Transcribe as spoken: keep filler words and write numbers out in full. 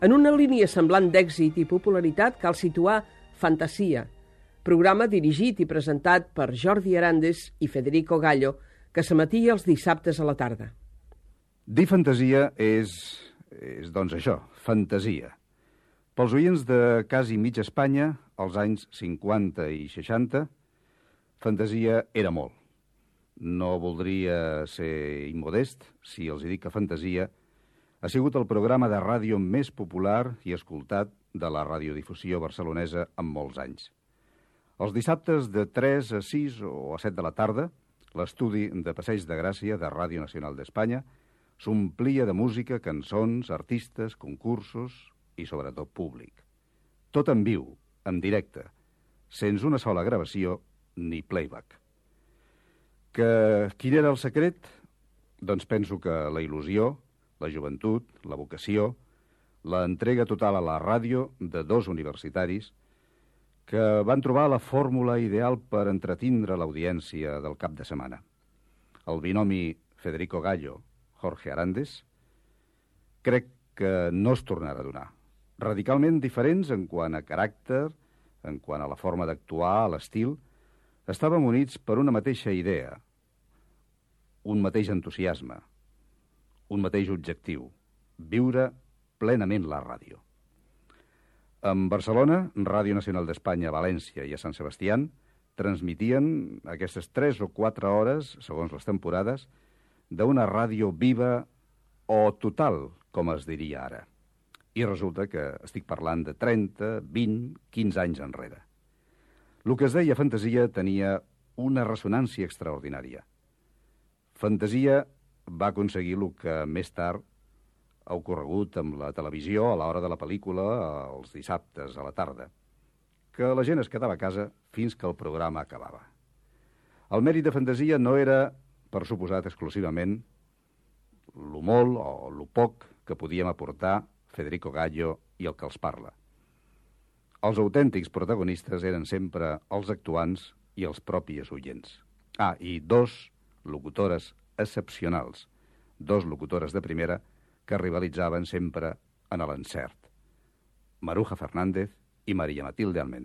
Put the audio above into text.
En una línia semblant d'èxit i popularitat cal situar Fantasia, programa dirigit i presentat per Jordi Arandes i Federico Gallo, que s'emetia els dissabtes a la tarda. Dir fantasia és, és doncs això, fantasia. Pels oients de quasi mitja Espanya, als anys cinquanta i seixanta, fantasia era molt. No voldria ser immodest si els dic que Fantasia ha sigut el programa de ràdio més popular i escoltat de la radiodifusió barcelonesa en molts anys. Els dissabtes de tres a sis o a set de la tarda, l'estudi de Passeig de Gràcia de Ràdio Nacional d'Espanya s'omplia de música, cançons, artistes, concursos i, sobretot, públic. Tot en viu, en directe, sense una sola gravació ni playback. Que quin era el secret? Doncs penso que la il·lusió, la joventut, la vocació, la entrega total a la ràdio de dos universitaris que van trobar la fórmula ideal per entretindre l'audiència del cap de setmana. El binomi Federico Gallo-Jorge Arandes crec que no es tornarà a donar. Radicalment diferents en quant a caràcter, en quant a la forma d'actuar, a l'estil, estàvem units per una mateixa idea, un mateix entusiasme, un mateix objectiu, viure plenament la ràdio. En Barcelona, Ràdio Nacional d'Espanya a València i a Sant Sebastián transmitien aquestes tres o quatre hores, segons les temporades, d'una ràdio viva o total, com es diria ara. I resulta que estic parlant de trenta, vint, quinze anys enrere. El que es deia Fantasia tenia una ressonància extraordinària. Fantasia va aconseguir el que més tard ha ocorregut amb la televisió a l'hora de la pel·lícula els dissabtes a la tarda, que la gent es quedava a casa fins que el programa acabava. El mèrit de Fantasia no era, per suposat, exclusivament lo molt o lo poc que podíem aportar Federico Gallo i el que els parla. Els autèntics protagonistes eren sempre els actuants i els propis oients. Ah, i dos locutores excepcionals, dos locutores de primera que rivalitzaven sempre en l'encert. Maruja Fernández i María Matilde Almendra.